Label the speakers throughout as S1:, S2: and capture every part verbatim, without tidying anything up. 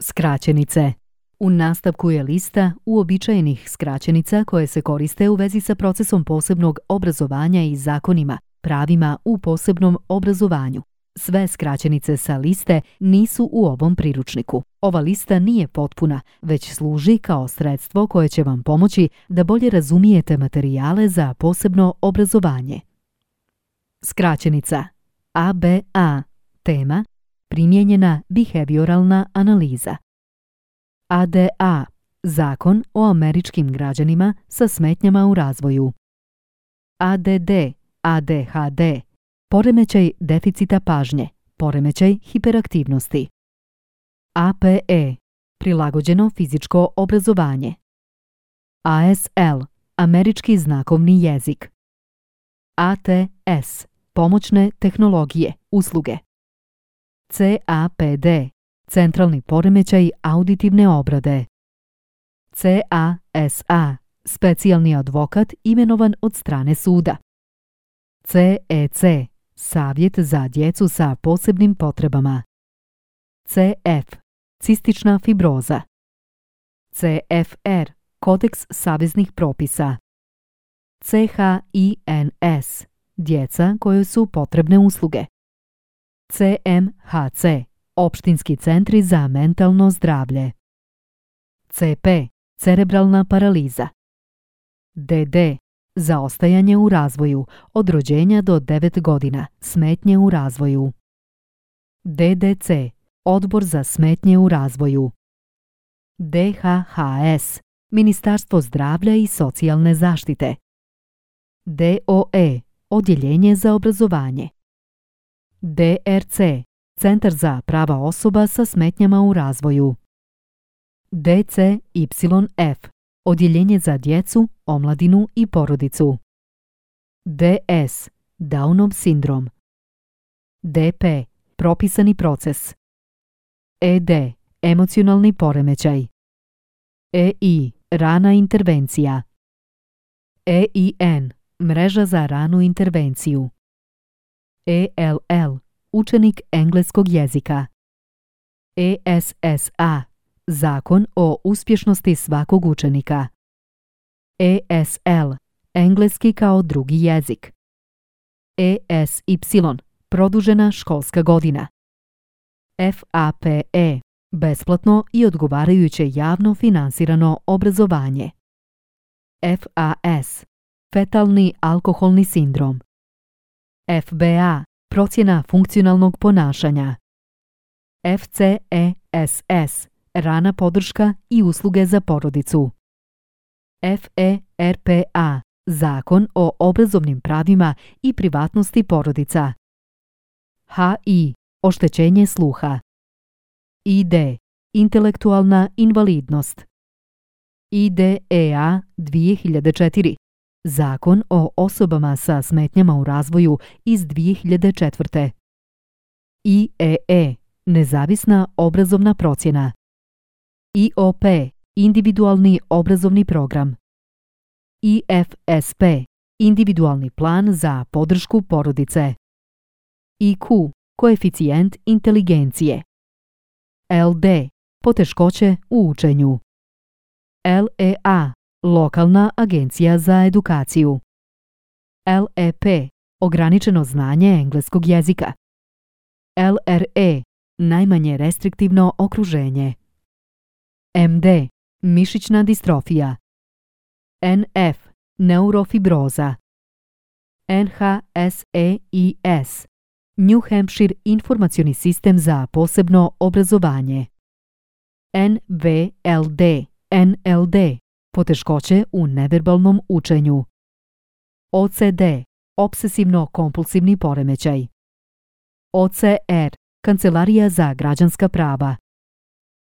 S1: Skraćenice. U nastavku je lista uobičajenih skraćenica koje se koriste u vezi sa procesom posebnog obrazovanja i zakonima, pravima u posebnom obrazovanju. Sve skraćenice sa liste nisu u ovom priručniku. Ova lista nije potpuna, već služi kao sredstvo koje će vam pomoći da bolje razumijete materijale za posebno obrazovanje. Skraćenica A B A. Tema: primijenjena behavioralna analiza. A D A. Zakon o američkim građanima sa smetnjama u razvoju. A D D. A D H D. Poremećaj deficita pažnje, poremećaj hiperaktivnosti. A P E. Prilagođeno fizičko obrazovanje. A S L. Američki znakovni jezik. A T S. Pomoćne tehnologije, usluge. C A P D. Centralni poremećaj auditivne obrade. C A S A. Specijalni advokat imenovan od strane suda. C E C. Savjet za djecu sa posebnim potrebama. C F. Cistična fibroza. C F R. Kodeks saveznih propisa. C H I N S. Djeca kojoj su potrebne usluge. C M H C. Opštinski centri za mentalno zdravlje. C P. Cerebralna paraliza. D D. Zaostajanje u razvoju, od rođenja do devet godina, smetnje u razvoju. D D C. Odbor za smetnje u razvoju. D H H S. Ministarstvo zdravlja i socijalne zaštite. D O E. Odjeljenje za obrazovanje. D R C. Centar za prava osoba sa smetnjama u razvoju. D C Y F. Odjeljenje za djecu, omladinu i porodicu. D S. Downov sindrom. D P. Propisani proces. E D. Emocionalni poremećaj. E I. Rana intervencija. E I N. Mreža za ranu intervenciju. E L L. Učenik engleskog jezika. E S S A. Zakon o uspješnosti svakog učenika. E S L. Engleski kao drugi jezik. E S Y. Produžena školska godina. F A P E. Besplatno i odgovarajuće javno finansirano obrazovanje. F A S. Fetalni alkoholni sindrom. F B A. Procjena funkcionalnog ponašanja. F C E S S. Rana podrška i usluge za porodicu. F E R P A. Zakon o obrazovnim pravima i privatnosti porodica. H I. Oštećenje sluha. I D. Intelektualna invalidnost. I D E A dvije hiljade četiri. Zakon o osobama sa smetnjama u razvoju iz dvije hiljade četvrte. I E E. Nezavisna obrazovna procjena. I O P. Individualni obrazovni program. I F S P. Individualni plan za podršku porodice. I Q. Koeficijent inteligencije. L D. Poteškoće u učenju. L E A. Lokalna agencija za edukaciju. L E P. Ograničeno znanje engleskog jezika. L R E. Najmanje restriktivno okruženje. M D. Mišićna distrofija. N F. Neurofibroza. N H S E I S. New Hampshire informacioni sistem za posebno obrazovanje. N V L D. N L D. Poteškoće u neverbalnom učenju. O C D. Obsesivno-kompulsivni poremećaj. O C R. Kancelarija za građanska prava.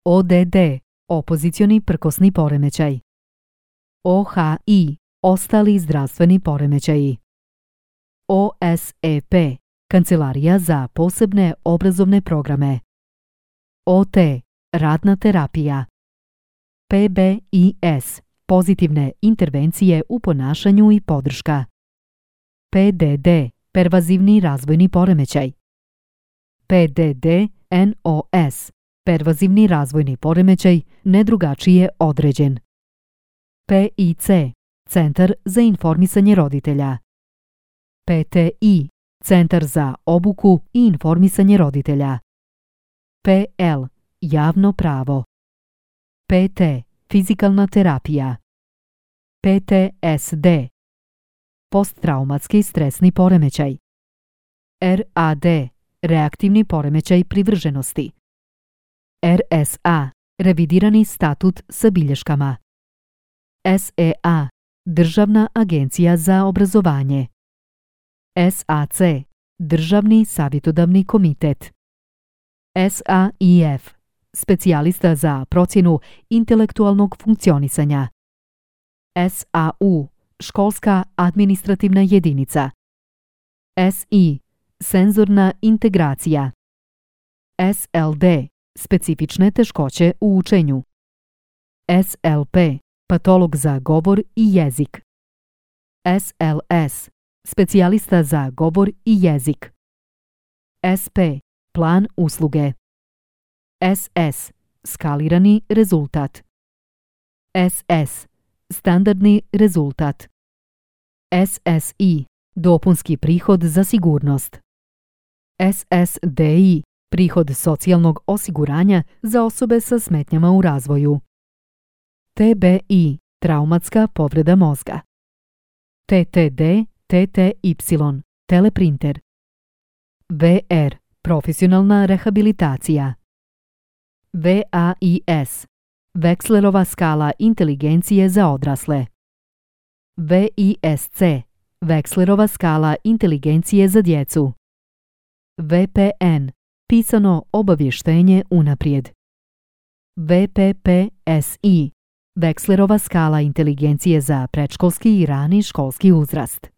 S1: O D D. Opozicioni prkosni poremećaj. O H I. Ostali zdravstveni poremećaji. O S E P. Kancelarija za posebne obrazovne programe. O T. Radna terapija. P B I S. Pozitivne intervencije u ponašanju i podrška. P D D. Pervazivni razvojni poremećaj. P D D N O S. Pervazivni razvojni poremećaj nedrugačije određen. P I C, Centar za informisanje roditelja. P T I, Centar za obuku i informisanje roditelja. P L, Javno pravo. P T, Fizikalna terapija. P T S D, Posttraumatski stresni poremećaj. R A D, Reaktivni poremećaj privrženosti. R S A, Revidirani statut sa bilješkama. S E A, Državna agencija za obrazovanje. S A C, Državni savjetodavni komitet. S A I F, Specijalista za procjenu intelektualnog funkcionisanja. S A U, Školska administrativna jedinica. S I, Senzorna integracija. S L D, Specifične teškoće u učenju. S L P, Patolog za govor i jezik. S L S, Specijalista za govor i jezik. S P, Plan usluge. S S, Skalirani rezultat. S S, Standardni rezultat. S S I, Dopunski prihod za sigurnost. S S D I, Prihod socijalnog osiguranja za osobe sa smetnjama u razvoju. T B I, Traumatska povreda mozga. T T D, T T Y, Teleprinter. V R, Profesionalna rehabilitacija. V A I S, Vekslerova skala inteligencije za odrasle. V I S C, Vekslerova skala inteligencije za djecu. V P N, Pisano obavještenje unaprijed. V P P S I, Vekslerova skala inteligencije za predškolski i rani školski uzrast.